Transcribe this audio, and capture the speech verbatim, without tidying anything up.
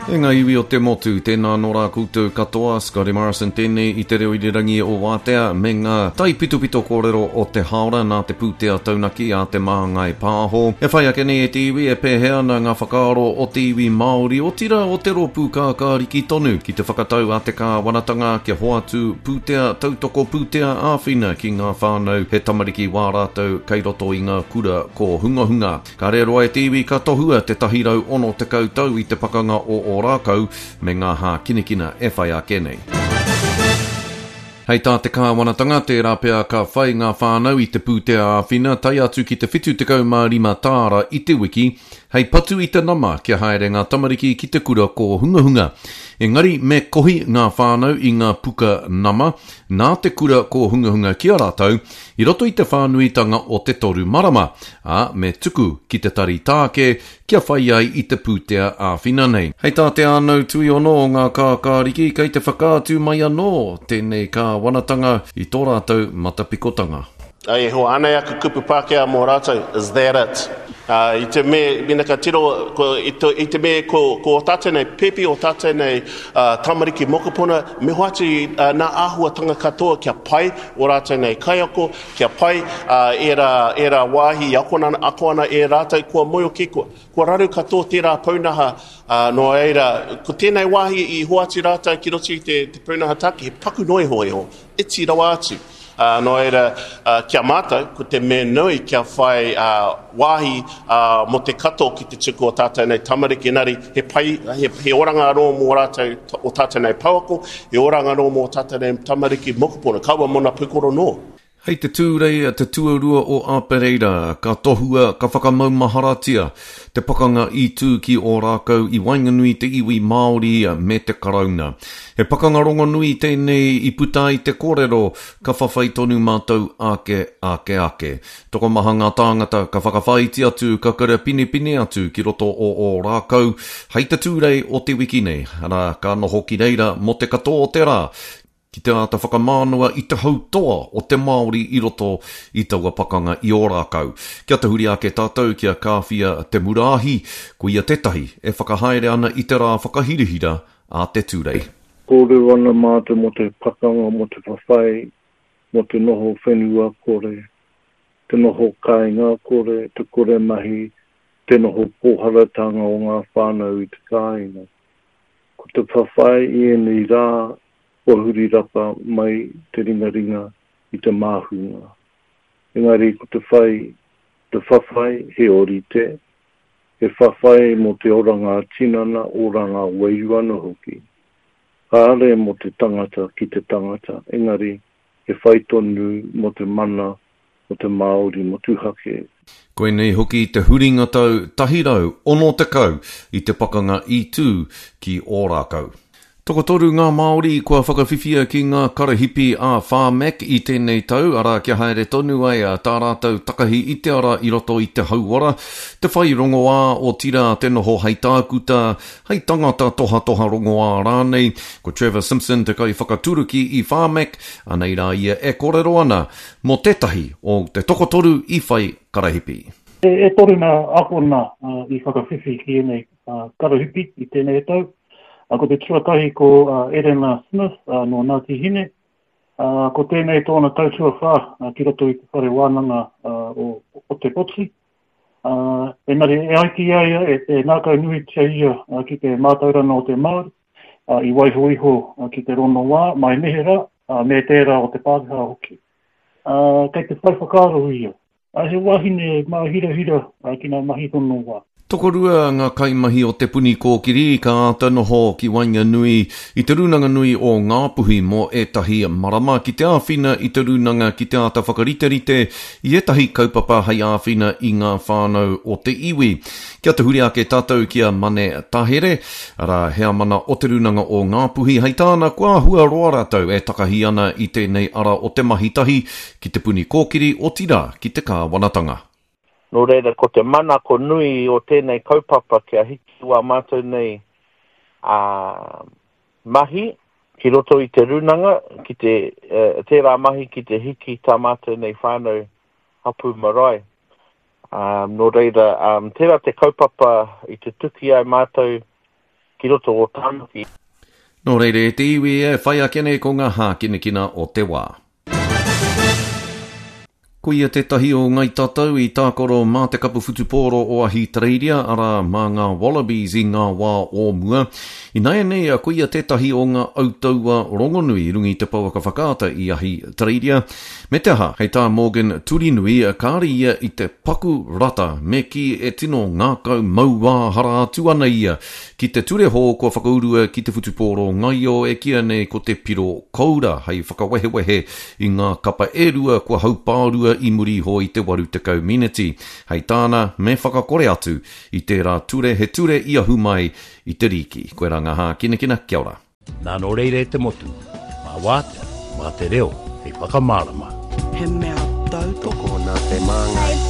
E ngā iwi o te motu, tēnā nō rā koutou katoa, Scotty Morrison tēnei i te reo irirangi o Wātea me ngā taipitopito kōrero o te haora nā te pūtea taunaki a te Māngai Pāho. E whai ake nei e te iwi e pēhea ana ngā whakaaro o te iwi Māori, otirā o te rōpū kākāriki tonu ki te whakatau a te kāwanatanga kia hoatu pūtea tautoko pūtea āwhina ki ngā whānau he tamariki wā rātou kei roto i ngā kura kōhungahunga. Ka rēroa e te iwi ka tohua te tahi rau ono tekau tau i te pakanga o Ōrākau me ngā hākinakina e whai ake nei. Hei tā te kāwanatanga, tērā pea ka whai ngā whānau i te pūtea āwhina tae atu ki te whitu tekau mā rima tāra i te wiki, hei patu i te nama kia haere ngā tamariki ki te kura kōhungahunga. Engari me kohi ngā whānau i ngā puka nama nā te kura kōhungahunga ki a rātou i roto i te whānuitanga o te toru marama, ā, me tuku ki te tari tāke kia whai ai i te pūtea āwhina nei. Hei tā te Ānau Tuiono o ngā kākāriki kei te whakaatu mai anō tēnei kāwanatanga i tō rātou matapikotanga. Ai, ho, anei aku kupu Pākehā mō rātou, is that it? Uh, i te me, mena ka tiro, ko, i, te, i te me ko, ko o tātou nei pepi, o tātou nei uh, tamariki mokopuna, me hoatu uh, nā āhuatanga katoa kia pai o rātou nei kaiako, kia pai uh, era, era wāhi i akona, ako ana e rātou kua moio ki kua, kua raru katoa tērā pūnaha, uh, nō reira, ko tēnei wāhi i hoatu rātou ki roto i te, te pūnaha take, he paku noa iho iho, iti rawa atu. Uh, nō reira, uh, kia mātou, ko te mea nui kia whai, uh, wāhi, uh, mō te katoa ki te tuku o tātou nei tamariki, engari he pai, he, he oranga anō mō rātou o tātou nei pouako, he oranga anō mō tātou nei tamariki mokopuna, kaua mōna pukoro noa. Hei te Tūrei te tuarua o Apereira, ka tohua, ka whakamaumaharatia te pakanga i tū ki Ōrākau i waenganui te iwi Māori me te Karauna. He pakanga rongonui tēnei i puta ai te kōrero, ka whawhai tonu mātou ake, ake, ake. Tokomaha ngā tāngata ka whakawhāiti atu, ka karapinepine atu ki roto o Ōrākau, hei te Tūrei o te wiki nei, arā, ka noho ki reira mō te katoa o te rā, ki te āta whakamānawa i te hautoa o te Māori i roto i taua pakanga i Ōrākau. Kia tahuri ake tātou kia Kāwhia Te Muraahi, ko ia tētahi e whakahaere ana i te rā whakahirahira a te Tūrei. Kōrero ana mātou mō te pakanga, mō te whawhai, mō te noho whenua kore, te noho kāinga kore, te kore mahi, te noho pōharatanga o ngā whānau i te kāinga. Ko te whawhai i ēnei rā, kua huri rapa mai te ringaringa i te māhunga. Engari ko te whai, te whawhai he orite, he whawhai mō te oranga tinana, oranga wairua anō hoki. Kāre mō te tangata ki te tangata, engari he whai tonu mō te mana o te Māori motuhake. Koinei hoki te huringa tau tahi rau ono tekau i te pakanga i tū ki Ōrākau. Tokotoru ngā Māori kua whakawhiwhia ki ngā karahipi a Pharmac i tēnei tau, arā kia haere tonu ai a tā rātou takahi i te ara i roto i te hauora, te whai rongoā o tira te noho hei tākuta, hei tangata tohatoha rongoā rānei. Ko Trevor Simpson te kai whakaturuki i Pharmac, anei rā ia e kōrero ana mō tētahi o te tokotoru i whai karahipi. E, e toru ngā akona, uh, i whakawhiwhi ki ēnei, uh, karahipi i tēnei tau. Uh, ko te tuatahi ko, uh, Erena Smith, uh, nō Ngāti Hine. Uh, ko tēnei tōna tau tuawhā, uh, ki roto i te whare wānanga, uh, o, o Te Poti. Uh, engari e ai ki a ia, e, e ngākau nuitia ia, uh, ki te mātauranga o te Māori, uh, i waiho iho, uh, ki te rongoā, mai neherā, uh, me tērā o te Pākehā hoki. Uh, kei te whai whakaaro ia. Uh, he wahine māhirahira, uh, ki ngā mahi rongoā. Tokorua ngā kaimahi o Te Puni Kōkiri ka āta noho ki waenganui i te rūnanga nui o Ngāpuhi mō ētahi marama ki te āwhina i te rūnanga ki te āta whakariterite i ētahi kaupapa hei āwhina i ngā whānau o te iwi. Kia tahuri ake tātou ki a Mane Tahere, arā heamana o te rūnanga o Ngāpuhi, hei tāna kua āhua roa rātou e takahi ana i tēnei ara o te mahi tahi ki Te Puni Kōkiri otirā ki te kāwanatanga. Nō reira, ko te mana ko nui o tēnei kaupapa kia hiki wā mātou nei, ā, mahi ki roto i te rūnanga, ki te, eh, tērā mahi ki te hiki tā mātou nei whānau hapu marae. Um, nō reira, um, tērā te kaupapa i te tuki ai mātou ki roto o Tāmaki. Nō reira e te iwi e whai ake nei ko ngā hākinakina o te wā. Ko ia tētahi o Ngai Tatau i tākaro mā te kapu whutupōro o Ahitereiria, arā mā ngā Wallabies i ngā wā o mua. Ināianei, ko ia tētahi o ngā autaua rongonui i runga i te pouaka whakaata i Ahitereiria. Me te aha, hei tā Morgan Turinui, kāre ia i te paku rata, me kī e tino ngākau mauāhara atu ana ia ki te ture hou kua whakaurua ki te whutupōro ngaio e kīia nei ko te piro koura hei whakawehewehe i ngā kapa e rua kua haupārua i muri iho i te waru tekau miniti. Hei tāna, me whakakore atu i tērā ture, he ture i ahu mai i te rīki. Koirā ngā hākinakina, kia ora. Nā nō reira e te motu, mā wātea, mā te reo, hei whakamārama. He mea tautoko nā te māngai.